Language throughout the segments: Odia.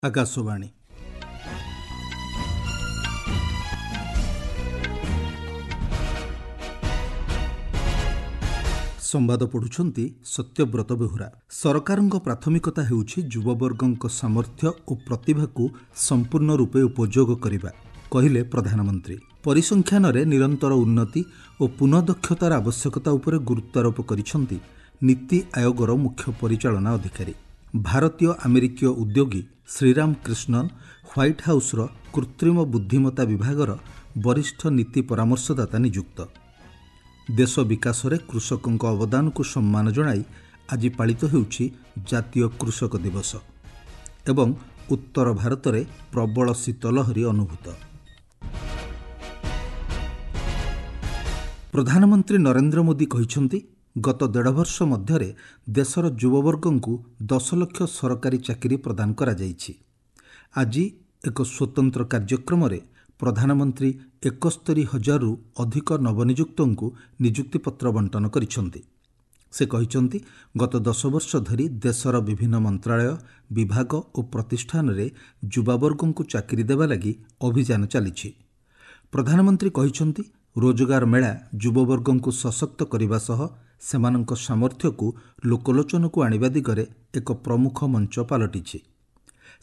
ଆକାଶବାଣୀ। ସମ୍ବାଦ ପଢ଼ୁଛନ୍ତି ସତ୍ୟବ୍ରତ ବେହୁରା। ସରକାରଙ୍କ ପ୍ରାଥମିକତା ହେଉଛି ଯୁବବର୍ଗଙ୍କ ସାମର୍ଥ୍ୟ ଓ ପ୍ରତିଭାକୁ ସମ୍ପୂର୍ଣ୍ଣ ରୂପେ ଉପଯୋଗ କରିବା, କହିଲେ ପ୍ରଧାନମନ୍ତ୍ରୀ। ପରିସଂଖ୍ୟାନରେ ନିରନ୍ତର ଉନ୍ନତି ଓ ପୁନଃଦକ୍ଷତାର ଆବଶ୍ୟକତା ଉପରେ ଗୁରୁତ୍ୱାରୋପ କରିଛନ୍ତି ନୀତି ଆୟୋଗର ମୁଖ୍ୟ ପରିଚାଳନା ଅଧିକାରୀ। ଭାରତୀୟ ଆମେରିକୀୟ ଉଦ୍ୟୋଗୀ ଶ୍ରୀରାମ କୃଷ୍ଣନ୍ ହ୍ୱାଇଟ୍ ହାଉସ୍ର କୃତ୍ରିମ ବୁଦ୍ଧିମତ୍ତା ବିଭାଗର ବରିଷ୍ଠ ନୀତି ପରାମର୍ଶଦାତା ନିଯୁକ୍ତ। ଦେଶ ବିକାଶରେ କୃଷକଙ୍କ ଅବଦାନକୁ ସମ୍ମାନ ଜଣାଇ ଆଜି ପାଳିତ ହେଉଛି ଜାତୀୟ କୃଷକ ଦିବସ। ଏବଂ ଉତ୍ତର ଭାରତରେ ପ୍ରବଳ ଶୀତଲହରୀ ଅନୁଭୂତ। ପ୍ରଧାନମନ୍ତ୍ରୀ ନରେନ୍ଦ୍ର ମୋଦି କହିଛନ୍ତି, ଗତ ଦେଢ଼ ବର୍ଷ ମଧ୍ୟରେ ଦେଶର ଯୁବବର୍ଗଙ୍କୁ 10 ଲକ୍ଷ ସରକାରୀ ଚାକିରି ପ୍ରଦାନ କରାଯାଇଛି। ଆଜି ଏକ ସ୍ୱତନ୍ତ୍ର କାର୍ଯ୍ୟକ୍ରମରେ ପ୍ରଧାନମନ୍ତ୍ରୀ 71 ହଜାରରୁ ଅଧିକ ନବନିଯୁକ୍ତଙ୍କୁ ନିଯୁକ୍ତିପତ୍ର ବଣ୍ଟନ କରିଛନ୍ତି। ସେ କହିଛନ୍ତି, ଗତ 10 ବର୍ଷ ଧରି ଦେଶର ବିଭିନ୍ନ ମନ୍ତ୍ରାଳୟ, ବିଭାଗ ଓ ପ୍ରତିଷ୍ଠାନରେ ଯୁବାବର୍ଗଙ୍କୁ ଚାକିରି ଦେବା ଲାଗି ଅଭିଯାନ ଚାଲିଛି। ପ୍ରଧାନମନ୍ତ୍ରୀ କହିଛନ୍ତି, ରୋଜଗାର ମେଳା ଯୁବବର୍ଗଙ୍କୁ ସଶକ୍ତ କରିବା ସହ ସେମାନଙ୍କ ସାମର୍ଥ୍ୟକୁ ଲୋକଲୋଚନକୁ ଆଣିବା ଦିଗରେ ଏକ ପ୍ରମୁଖ ମଞ୍ଚ ପାଲଟିଛି।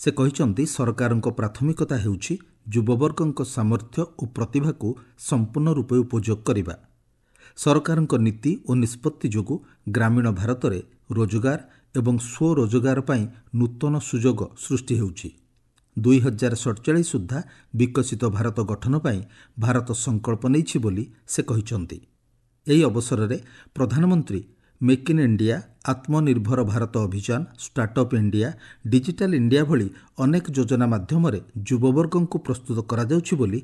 ସେ କହିଛନ୍ତି, ସରକାରଙ୍କ ପ୍ରାଥମିକତା ହେଉଛି ଯୁବବର୍ଗଙ୍କ ସାମର୍ଥ୍ୟ ଓ ପ୍ରତିଭାକୁ ସମ୍ପୂର୍ଣ୍ଣ ରୂପେ ଉପଯୋଗ କରିବା। ସରକାରଙ୍କ ନୀତି ଓ ନିଷ୍ପତ୍ତି ଯୋଗୁଁ ଗ୍ରାମୀଣ ଭାରତରେ ରୋଜଗାର ଏବଂ ସ୍ୱରୋଜଗାର ପାଇଁ ନୂତନ ସୁଯୋଗ ସୃଷ୍ଟି ହେଉଛି। 2047 ସୁଦ୍ଧା ବିକଶିତ ଭାରତ ଗଠନ ପାଇଁ ଭାରତ ସଂକଳ୍ପ ନେଇଛି ବୋଲି ସେ କହିଛନ୍ତି। ଏହି ଅବସରରେ ପ୍ରଧାନମନ୍ତ୍ରୀ ମେକ୍ ଇନ୍ ଇଣ୍ଡିଆ, ଆତ୍ମନିର୍ଭର ଭାରତ ଅଭିଯାନ, ଷ୍ଟାର୍ଟଅପ୍ ଇଣ୍ଡିଆ, ଡିଜିଟାଲ ଇଣ୍ଡିଆ ଭଳି ଅନେକ ଯୋଜନା ମାଧ୍ୟମରେ ଯୁବବର୍ଗଙ୍କୁ ପ୍ରସ୍ତୁତ କରାଯାଉଛି ବୋଲି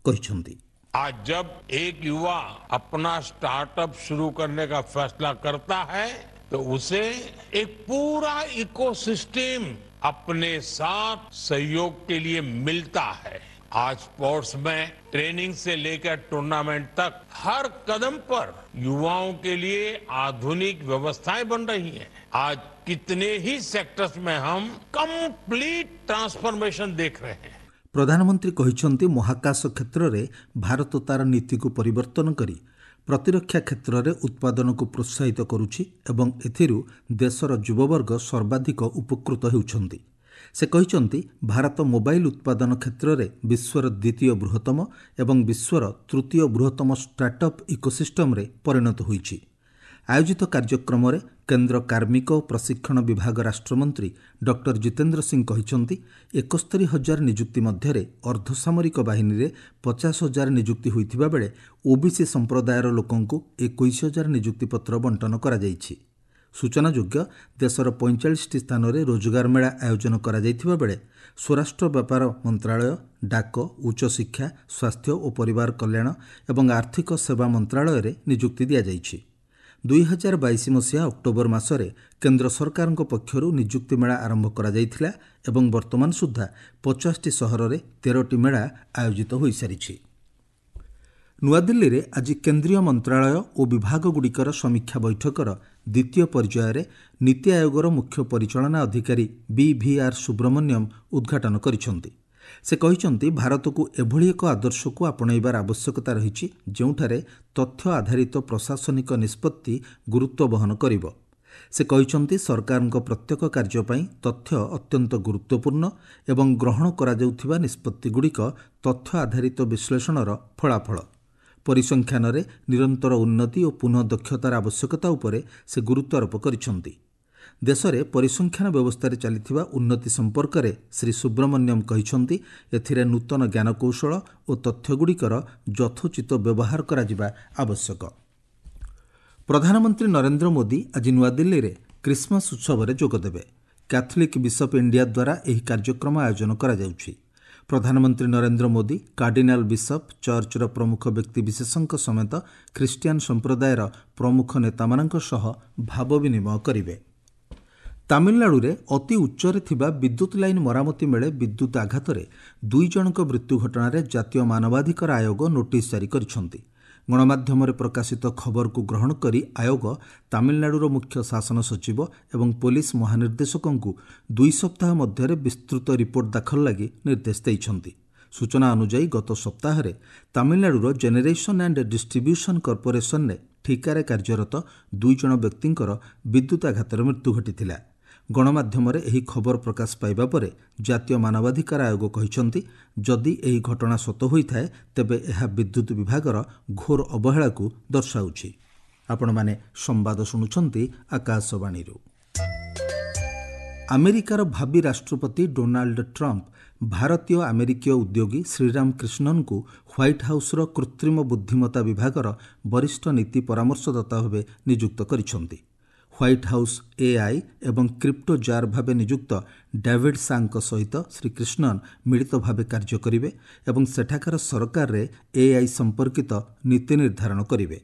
କହିଛନ୍ତି। आज जब एक युवा अपना स्टार्टअप शुरू करने का फैसला करता है तो उसे एक पूरा इकोसिस्टम अपने साथ सहयोग के लिए मिलता है। आज स्पोर्ट्स में ट्रेनिंग से लेकर टूर्नामेंट तक हर कदम पर युवाओं के लिए आधुनिक व्यवस्थाएं बन रही हैं। आज कितने ही सेक्टर्स में हम कंप्लीट ट्रांसफॉर्मेशन देख रहे हैं। ପ୍ରଧାନମନ୍ତ୍ରୀ କହିଛନ୍ତି, ମହାକାଶ କ୍ଷେତ୍ରରେ ଭାରତ ତାର ନୀତିକୁ ପରିବର୍ତ୍ତନ କରି ପ୍ରତିରକ୍ଷା କ୍ଷେତ୍ରରେ ଉତ୍ପାଦନକୁ ପ୍ରୋତ୍ସାହିତ କରୁଛି ଏବଂ ଏଥିରୁ ଦେଶର ଯୁବବର୍ଗ ସର୍ବାଧିକ ଉପକୃତ ହେଉଛନ୍ତି। ସେ କହିଛନ୍ତି, ଭାରତ ମୋବାଇଲ ଉତ୍ପାଦନ କ୍ଷେତ୍ରରେ ବିଶ୍ୱର ଦ୍ୱିତୀୟ ବୃହତ୍ତମ ଏବଂ ବିଶ୍ୱର ତୃତୀୟ ବୃହତ୍ତମ ଷ୍ଟାର୍ଟଅପ୍ ଇକୋସିଷ୍ଟମରେ ପରିଣତ ହୋଇଛି। ଆୟୋଜିତ କାର୍ଯ୍ୟକ୍ରମରେ କେନ୍ଦ୍ର କାର୍ମିକ ଓ ପ୍ରଶିକ୍ଷଣ ବିଭାଗ ରାଷ୍ଟ୍ରମନ୍ତ୍ରୀ ଡକ୍ଟର ଜିତେନ୍ଦ୍ର ସିଂ କହିଛନ୍ତି, 71 ହଜାର ନିଯୁକ୍ତି ମଧ୍ୟରେ ଅର୍ଦ୍ଧସାମରିକ ବାହିନୀରେ 50 ହଜାର ନିଯୁକ୍ତି ହୋଇଥିବା ବେଳେ ଓବିସି ସମ୍ପ୍ରଦାୟର ଲୋକଙ୍କୁ 21 ହଜାର ନିଯୁକ୍ତିପତ୍ର ବଣ୍ଟନ କରାଯାଇଛି। ସୂଚନାଯୋଗ୍ୟ, ଦେଶର 45ଟି ସ୍ଥାନରେ ରୋଜଗାର ମେଳା ଆୟୋଜନ କରାଯାଇଥିବା ବେଳେ ସ୍ୱରାଷ୍ଟ୍ର ବ୍ୟାପାର ମନ୍ତ୍ରାଳୟ, ଡାକ, ଉଚ୍ଚଶିକ୍ଷା, ସ୍ୱାସ୍ଥ୍ୟ ଓ ପରିବାର କଲ୍ୟାଣ ଏବଂ ଆର୍ଥିକ ସେବା ମନ୍ତ୍ରାଳୟରେ ନିଯୁକ୍ତି ଦିଆଯାଇଛି। 2022 ମସିହା ଅକ୍ଟୋବର ମାସରେ କେନ୍ଦ୍ର ସରକାରଙ୍କ ପକ୍ଷରୁ ନିଯୁକ୍ତି ମେଳା ଆରମ୍ଭ କରାଯାଇଥିଲା ଏବଂ ବର୍ତ୍ତମାନ ସୁଦ୍ଧା 50ଟି ସହରରେ 13ଟି ମେଳା ଆୟୋଜିତ ହୋଇସାରିଛି। ନୂଆଦିଲ୍ଲୀରେ ଆଜି କେନ୍ଦ୍ରୀୟ ମନ୍ତ୍ରାଳୟ ଓ ବିଭାଗଗୁଡ଼ିକର ସମୀକ୍ଷା ବୈଠକର ଦ୍ୱିତୀୟ ପର୍ଯ୍ୟାୟରେ ନୀତି ଆୟୋଗର ମୁଖ୍ୟ ପରିଚାଳନା ଅଧିକାରୀ ବି.ଭି.ଆର୍ ସୁବ୍ରମଣ୍ୟମ ଉଦ୍ଘାଟନ କରିଛନ୍ତି। ସେ କହିଛନ୍ତି, ଭାରତକୁ ଏଭଳି ଏକ ଆଦର୍ଶକୁ ଆପଣେଇବାର ଆବଶ୍ୟକତା ରହିଛି ଯେଉଁଠାରେ ତଥ୍ୟ ଆଧାରିତ ପ୍ରଶାସନିକ ନିଷ୍ପତ୍ତି ଗୁରୁତ୍ୱ ବହନ କରିବ। ସେ କହିଛନ୍ତି, ସରକାରଙ୍କ ପ୍ରତ୍ୟେକ କାର୍ଯ୍ୟ ପାଇଁ ତଥ୍ୟ ଅତ୍ୟନ୍ତ ଗୁରୁତ୍ୱପୂର୍ଣ୍ଣ ଏବଂ ଗ୍ରହଣ କରାଯାଉଥିବା ନିଷ୍ପତ୍ତିଗୁଡ଼ିକ ତଥ୍ୟ ଆଧାରିତ ବିଶ୍ଳେଷଣର ଫଳାଫଳ। ପରିସଂଖ୍ୟାନରେ ନିରନ୍ତର ଉନ୍ନତି ଓ ପୁନଃଦକ୍ଷତାର ଆବଶ୍ୟକତା ଉପରେ ସେ ଗୁରୁତ୍ୱାରୋପ କରିଛନ୍ତି। ଦେଶରେ ପରିସଂଖ୍ୟାନ ବ୍ୟବସ୍ଥାରେ ଚାଲିଥିବା ଉନ୍ନତି ସମ୍ପର୍କରେ ଶ୍ରୀ ସୁବ୍ରମଣ୍ୟମ କହିଛନ୍ତି, ଏଥିରେ ନୂତନ ଜ୍ଞାନକୌଶଳ ଓ ତଥ୍ୟଗୁଡ଼ିକର ଯଥୋଚିତ ବ୍ୟବହାର କରାଯିବା ଆବଶ୍ୟକ। ପ୍ରଧାନମନ୍ତ୍ରୀ ନରେନ୍ଦ୍ର ମୋଦି ଆଜି ନୂଆଦିଲ୍ଲୀରେ କ୍ରିସମାସ୍ ଉତ୍ସବରେ ଯୋଗଦେବେ। କ୍ୟାଥୋଲିକ୍ ବିଶପ୍ ଇଣ୍ଡିଆ ଦ୍ୱାରା ଏହି କାର୍ଯ୍ୟକ୍ରମ ଆୟୋଜନ କରାଯାଉଛି। ପ୍ରଧାନମନ୍ତ୍ରୀ ନରେନ୍ଦ୍ର ମୋଦି କାର୍ଡିନାଲ ବିଶପ୍, ଚର୍ଚ୍ଚର ପ୍ରମୁଖ ବ୍ୟକ୍ତିବିଶେଷଙ୍କ ସମେତ ଖ୍ରୀଷ୍ଟିଆନ ସମ୍ପ୍ରଦାୟର ପ୍ରମୁଖ ନେତାମାନଙ୍କ ସହ ଭାବ ବିନିମୟ କରିବେ। ତାମିଲନାଡୁରେ ଅତି ଉଚ୍ଚରେ ଥିବା ବିଦ୍ୟୁତ୍ ଲାଇନ୍ ମରାମତି ବେଳେ ବିଦ୍ୟୁତ୍ ଆଘାତରେ 2 ଜଣଙ୍କ ମୃତ୍ୟୁ ଘଟଣାରେ ଜାତୀୟ ମାନବାଧିକାର ଆୟୋଗ ନୋଟିସ୍ ଜାରି କରିଛନ୍ତି। ଗଣମାଧ୍ୟମରେ ପ୍ରକାଶିତ ଖବରକୁ ଗ୍ରହଣ କରି ଆୟୋଗ ତାମିଲନାଡୁର ମୁଖ୍ୟ ଶାସନ ସଚିବ ଏବଂ ପୋଲିସ ମହାନିର୍ଦ୍ଦେଶକଙ୍କୁ 2 ସପ୍ତାହ ମଧ୍ୟରେ ବିସ୍ତୃତ ରିପୋର୍ଟ ଦାଖଲ ଲାଗି ନିର୍ଦ୍ଦେଶ ଦେଇଛନ୍ତି। ସୂଚନା ଅନୁଯାୟୀ, ଗତ ସପ୍ତାହରେ ତାମିଲନାଡୁର ଜେନେରେସନ୍ ଆଣ୍ଡ ଡିଷ୍ଟ୍ରିବ୍ୟୁସନ୍ କର୍ପୋରେସନରେ ଠିକାରେ କାର୍ଯ୍ୟରତ 2 ଜଣ ବ୍ୟକ୍ତିଙ୍କର ବିଦ୍ୟୁତାଘାତରେ ମୃତ୍ୟୁ ଘଟିଥିଲା। ଗଣମାଧ୍ୟମରେ ଏହି ଖବର ପ୍ରକାଶ ପାଇବା ପରେ ଜାତୀୟ ମାନବାଧିକାର ଆୟୋଗ କହିଛନ୍ତି, ଯଦି ଏହି ଘଟଣା ସତ ହୋଇଥାଏ ତେବେ ଏହା ବିଦ୍ୟୁତ୍ ବିଭାଗର ଘୋର ଅବହେଳାକୁ ଦର୍ଶାଉଛି। ଆପଣମାନେ ସମ୍ବାଦ ଶୁଣୁଛନ୍ତି ଆକାଶବାଣୀରୁ। ଆମେରିକାର ଭାବି ରାଷ୍ଟ୍ରପତି ଡୋନାଲ୍ଡ ଟ୍ରମ୍ପ ଭାରତୀୟ ଆମେରିକୀୟ ଉଦ୍ୟୋଗୀ ଶ୍ରୀରାମ କୃଷ୍ଣନଙ୍କୁ ହ୍ୱାଇଟ୍ ହାଉସ୍ର କୃତ୍ରିମ ବୁଦ୍ଧିମତ୍ତା ବିଭାଗର ବରିଷ୍ଠ ନୀତି ପରାମର୍ଶଦାତା ଭାବେ ନିଯୁକ୍ତ କରିଛନ୍ତି। ହ୍ୱାଇଟ୍ ହାଉସ୍ ଏଆଇ ଏବଂ କ୍ରିପ୍ଟୋ ଜାର୍ ଭାବେ ନିଯୁକ୍ତ ଡାଭିଡ୍ ସାଙ୍କ ସହିତ ଶ୍ରୀ କୃଷ୍ଣନ ମିଳିତ ଭାବେ କାର୍ଯ୍ୟ କରିବେ ଏବଂ ସେଠାକାର ସରକାରରେ ଏଆଇ ସମ୍ପର୍କିତ ନୀତି ନିର୍ଦ୍ଧାରଣ କରିବେ।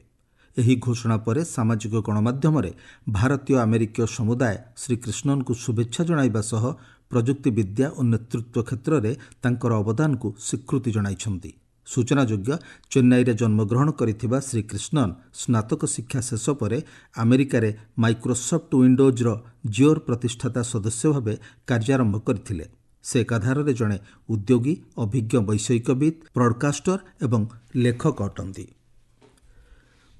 ଏହି ଘୋଷଣା ପରେ ସାମାଜିକ ଗଣମାଧ୍ୟମରେ ଭାରତୀୟ ଆମେରିକୀୟ ସମୁଦାୟ ଶ୍ରୀ କୃଷ୍ଣନଙ୍କୁ ଶୁଭେଚ୍ଛା ଜଣାଇବା ସହ ପ୍ରଯୁକ୍ତିବିଦ୍ୟା ଓ ନେତୃତ୍ୱ କ୍ଷେତ୍ରରେ ତାଙ୍କର ଅବଦାନକୁ ସ୍ୱୀକୃତି ଜଣାଇଛନ୍ତି। ସୂଚନାଯୋଗ୍ୟ, ଚେନ୍ନାଇରେ ଜନ୍ମଗ୍ରହଣ କରିଥିବା ଶ୍ରୀ କୃଷ୍ଣନ ସ୍ନାତକ ଶିକ୍ଷା ଶେଷ ପରେ ଆମେରିକାରେ ମାଇକ୍ରୋସଫ୍ଟ ୱିଣ୍ଡୋଜ୍ର ଜିଓର ପ୍ରତିଷ୍ଠାତା ସଦସ୍ୟ ଭାବେ କାର୍ଯ୍ୟାରମ୍ଭ କରିଥିଲେ। ସେ ଏକାଧାରରେ ଜଣେ ଉଦ୍ୟୋଗୀ, ଅଭିଜ୍ଞ ବୈଷୟିକବିତ୍, ବ୍ରଡକାଷ୍ଟର ଏବଂ ଲେଖକ ଅଟନ୍ତି।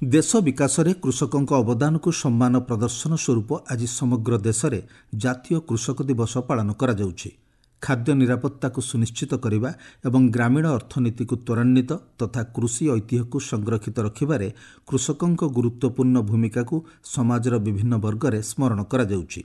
ଦେଶ ବିକାଶରେ କୃଷକଙ୍କ ଅବଦାନକୁ ସମ୍ମାନ ପ୍ରଦର୍ଶନ ସ୍ୱରୂପ ଆଜି ସମଗ୍ର ଦେଶରେ ଜାତୀୟ କୃଷକ ଦିବସ ପାଳନ କରାଯାଉଛି। ଖାଦ୍ୟ ନିରାପତ୍ତାକୁ ସୁନିଶ୍ଚିତ କରିବା ଏବଂ ଗ୍ରାମୀଣ ଅର୍ଥନୀତିକୁ ତ୍ୱରାନ୍ୱିତ ତଥା କୃଷି ଐତିହ୍ୟକୁ ସଂରକ୍ଷିତ ରଖିବାରେ କୃଷକଙ୍କ ଗୁରୁତ୍ୱପୂର୍ଣ୍ଣ ଭୂମିକାକୁ ସମାଜର ବିଭିନ୍ନ ବର୍ଗରେ ସ୍ମରଣ କରାଯାଉଛି।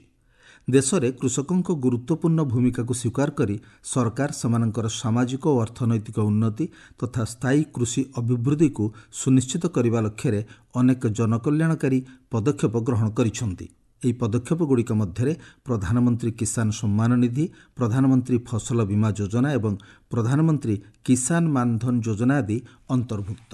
ଦେଶରେ କୃଷକଙ୍କ ଗୁରୁତ୍ୱପୂର୍ଣ୍ଣ ଭୂମିକାକୁ ସ୍ୱୀକାର କରି ସରକାର ସେମାନଙ୍କର ସାମାଜିକ ଓ ଅର୍ଥନୈତିକ ଉନ୍ନତି ତଥା ସ୍ଥାୟୀ କୃଷି ଅଭିବୃଦ୍ଧିକୁ ସୁନିଶ୍ଚିତ କରିବା ଲକ୍ଷ୍ୟରେ ଅନେକ ଜନକଲ୍ୟାଣକାରୀ ପଦକ୍ଷେପ ଗ୍ରହଣ କରିଛନ୍ତି। ଏହି ପଦକ୍ଷେପଗୁଡ଼ିକ ମଧ୍ୟରେ ପ୍ରଧାନମନ୍ତ୍ରୀ କିଷାନ ସମ୍ମାନ ନିଧି, ପ୍ରଧାନମନ୍ତ୍ରୀ ଫସଲ ବୀମା ଯୋଜନା ଏବଂ ପ୍ରଧାନମନ୍ତ୍ରୀ କିଷାନ ମାନଧନ ଯୋଜନା ଆଦି ଅନ୍ତର୍ଭୁକ୍ତ।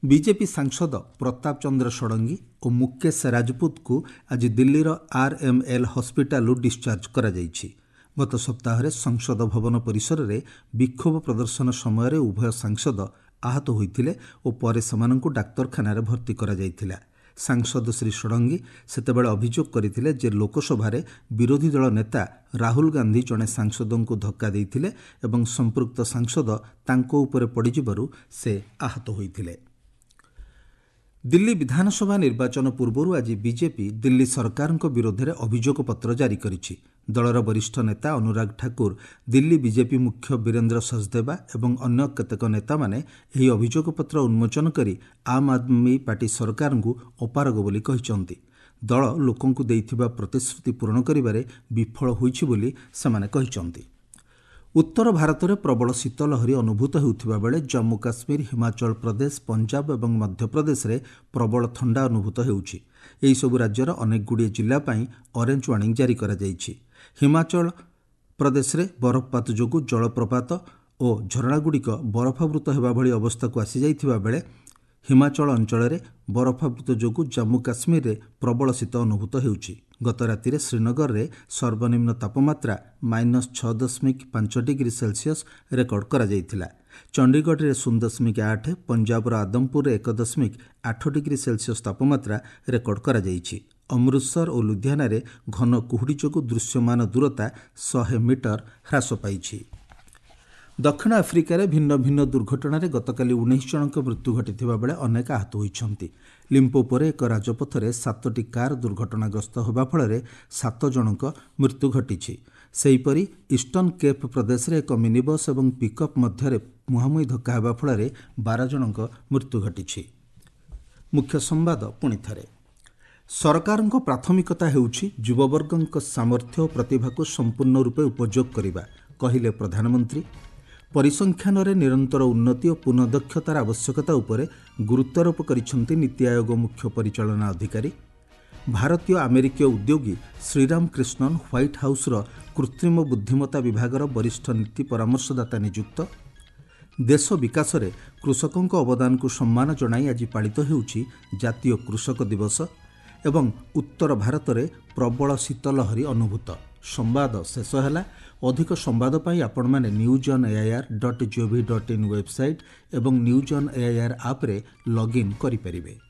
ବିଜେପି ସାଂସଦ ପ୍ରତାପ ଚନ୍ଦ୍ର ଷଡ଼ଙ୍ଗୀ ଓ ମୁକେଶ ରାଜପୁତଙ୍କୁ ଆଜି ଦିଲ୍ଲୀର ଆର୍ଏମ୍ଏଲ୍ ହସ୍ପିଟାଲରୁ ଡିସ୍ଚାର୍ଜ କରାଯାଇଛି। ଗତ ସପ୍ତାହରେ ସଂସଦ ଭବନ ପରିସରରେ ବିକ୍ଷୋଭ ପ୍ରଦର୍ଶନ ସମୟରେ ଉଭୟ ସାଂସଦ ଆହତ ହୋଇଥିଲେ ଓ ପରେ ସେମାନଙ୍କୁ ଡାକ୍ତରଖାନାରେ ଭର୍ତ୍ତି କରାଯାଇଥିଲା। ସାଂସଦ ଶ୍ରୀ ଷଡ଼ଙ୍ଗୀ ସେତେବେଳେ ଅଭିଯୋଗ କରିଥିଲେ ଯେ ଲୋକସଭାରେ ବିରୋଧୀ ଦଳ ନେତା ରାହୁଲ ଗାନ୍ଧୀ ଜଣେ ସାଂସଦଙ୍କୁ ଧକ୍କା ଦେଇଥିଲେ ଏବଂ ସମ୍ପୃକ୍ତ ସାଂସଦ ତାଙ୍କ ଉପରେ ପଡ଼ିଯିବାରୁ ସେ ଆହତ ହୋଇଥିଲେ। ଦିଲ୍ଲୀ ବିଧାନସଭା ନିର୍ବାଚନ ପୂର୍ବରୁ ଆଜି ବିଜେପି ଦିଲ୍ଲୀ ସରକାରଙ୍କ ବିରୋଧରେ ଅଭିଯୋଗପତ୍ର ଜାରି କରିଛି। ଦଳର ବରିଷ୍ଠ ନେତା ଅନୁରାଗ ଠାକୁର, ଦିଲ୍ଲୀ ବିଜେପି ମୁଖ୍ୟ ବୀରେନ୍ଦ୍ର ସଚଦେବା ଏବଂ ଅନ୍ୟ କେତେକ ନେତାମାନେ ଏହି ଅଭିଯୋଗପତ୍ର ଉନ୍ମୋଚନ କରି ଆମ୍ ଆଦମୀ ପାର୍ଟି ସରକାରଙ୍କୁ ଅପାରଗ ବୋଲି କହିଛନ୍ତି। ଦଳ ଲୋକଙ୍କୁ ଦେଇଥିବା ପ୍ରତିଶ୍ରୁତି ପୂରଣ କରିବାରେ ବିଫଳ ହୋଇଛି ବୋଲି ସେମାନେ କହିଛନ୍ତି। ଉତ୍ତର ଭାରତରେ ପ୍ରବଳ ଶୀତ ଲହରୀ ଅନୁଭୂତ ହେଉଥିବା ବେଳେ ଜମ୍ମୁ କାଶ୍ମୀର, ହିମାଚଳ ପ୍ରଦେଶ, ପଞ୍ଜାବ ଏବଂ ମଧ୍ୟପ୍ରଦେଶରେ ପ୍ରବଳ ଥଣ୍ଡା ଅନୁଭୂତ ହେଉଛି। ଏହିସବୁ ରାଜ୍ୟର ଅନେକଗୁଡ଼ିଏ ଜିଲ୍ଲା ପାଇଁ ଅରେଞ୍ଜ ୱାର୍ଣ୍ଣିଂ ଜାରି କରାଯାଇଛି। ହିମାଚଳ ପ୍ରଦେଶରେ ବରଫପାତ ଯୋଗୁଁ ଜଳପ୍ରପାତ ଓ ଝରଣାଗୁଡ଼ିକ ବରଫାବୃତ ହେବା ଭଳି ଅବସ୍ଥାକୁ ଆସିଯାଇଥିବା ବେଳେ ହିମାଚଳ ଅଞ୍ଚଳରେ ବରଫାବୃତ ଯୋଗୁଁ ଜମ୍ମୁ କାଶ୍ମୀରରେ ପ୍ରବଳ ଶୀତ ଅନୁଭୂତ ହେଉଛି। ଗତ ରାତିରେ ଶ୍ରୀନଗରରେ ସର୍ବନିମ୍ନ ତାପମାତ୍ରା -6.5 ଡିଗ୍ରୀ ସେଲସିୟସ୍ ରେକର୍ଡ କରାଯାଇଥିଲା। ଚଣ୍ଡିଗଡ଼ରେ 0.8, ପଞ୍ଜାବର ଆଦମପୁରରେ 1.8 ଡିଗ୍ରୀ ସେଲସିୟସ୍ ତାପମାତ୍ରା ରେକର୍ଡ କରାଯାଇଛି। ଅମୃତସର ଓ ଲୁଧିଆନାରେ ଘନ କୁହୁଡ଼ି ଯୋଗୁଁ ଦୃଶ୍ୟମାନ ଦୂରତା 100 ମିଟର ହ୍ରାସ ପାଇଛି। ଦକ୍ଷିଣ ଆଫ୍ରିକାରେ ଭିନ୍ନ ଭିନ୍ନ ଦୁର୍ଘଟଣାରେ ଗତକାଲି 19 ଜଣଙ୍କ ମୃତ୍ୟୁ ଘଟିଥିବା ବେଳେ ଅନେକ ଆହତ ହୋଇଛନ୍ତି। ଲିମ୍ପୋପୋରେ ଏକ ରାଜପଥରେ 7ଟି କାର୍ ଦୁର୍ଘଟଣାଗ୍ରସ୍ତ ହେବା ଫଳରେ 7 ଜଣଙ୍କ ମୃତ୍ୟୁ ଘଟିଛି। ସେହିପରି ଇଷ୍ଟର୍ଣ୍ଣ କେପ୍ ପ୍ରଦେଶରେ ଏକ ମିନିବସ୍ ଏବଂ ପିକଅପ୍ ମଧ୍ୟରେ ମୁହାଁମୁହିଁ ଧକ୍କା ହେବା ଫଳରେ 12 ଜଣଙ୍କ ମୃତ୍ୟୁ ଘଟିଛି। ମୁଖ୍ୟ ସମ୍ବାଦ ପୁଣି ଥରେ। ସରକାରଙ୍କ ପ୍ରାଥମିକତା ହେଉଛି ଯୁବବର୍ଗଙ୍କ ସାମର୍ଥ୍ୟ ଓ ପ୍ରତିଭାକୁ ସମ୍ପୂର୍ଣ୍ଣ ରୂପେ ଉପଯୋଗ କରିବା, କହିଲେ ପ୍ରଧାନମନ୍ତ୍ରୀ। ପରିସଂଖ୍ୟାନରେ ନିରନ୍ତର ଉନ୍ନତି ଓ ପୁନଃଦକ୍ଷତାର ଆବଶ୍ୟକତା ଉପରେ ଗୁରୁତ୍ୱାରୋପ କରିଛନ୍ତି ନୀତି ଆୟୋଗ ମୁଖ୍ୟ ପରିଚାଳନା ଅଧିକାରୀ। ଭାରତୀୟ ଆମେରିକୀୟ ଉଦ୍ୟୋଗୀ ଶ୍ରୀରାମ କୃଷ୍ଣନ ହ୍ୱାଇଟ୍ ହାଉସ୍ର କୃତ୍ରିମ ବୁଦ୍ଧିମତ୍ତା ବିଭାଗର ବରିଷ୍ଠ ନୀତି ପରାମର୍ଶଦାତା ନିଯୁକ୍ତ। ଦେଶ ବିକାଶରେ କୃଷକଙ୍କ ଅବଦାନକୁ ସମ୍ମାନ ଜଣାଇ ଆଜି ପାଳିତ ହେଉଛି ଜାତୀୟ କୃଷକ ଦିବସ। ଏବଂ ଉତ୍ତର ଭାରତରେ ପ୍ରବଳ ଶୀତଲହରୀ ଅନୁଭୂତ, ସମ୍ବାଦ ଶେଷ ହେଲା। ଅଧିକ ସମ୍ବାଦ ପାଇଁ ଆପଣମାନେ news on AIR dot gov dot in website ଏବଂ ନ୍ୟୁଜ୍ ଅନ୍ ଏଆଇଆର୍ ଆପ୍ରେ ଲଗ୍ଇନ୍ କରିପାରିବେ।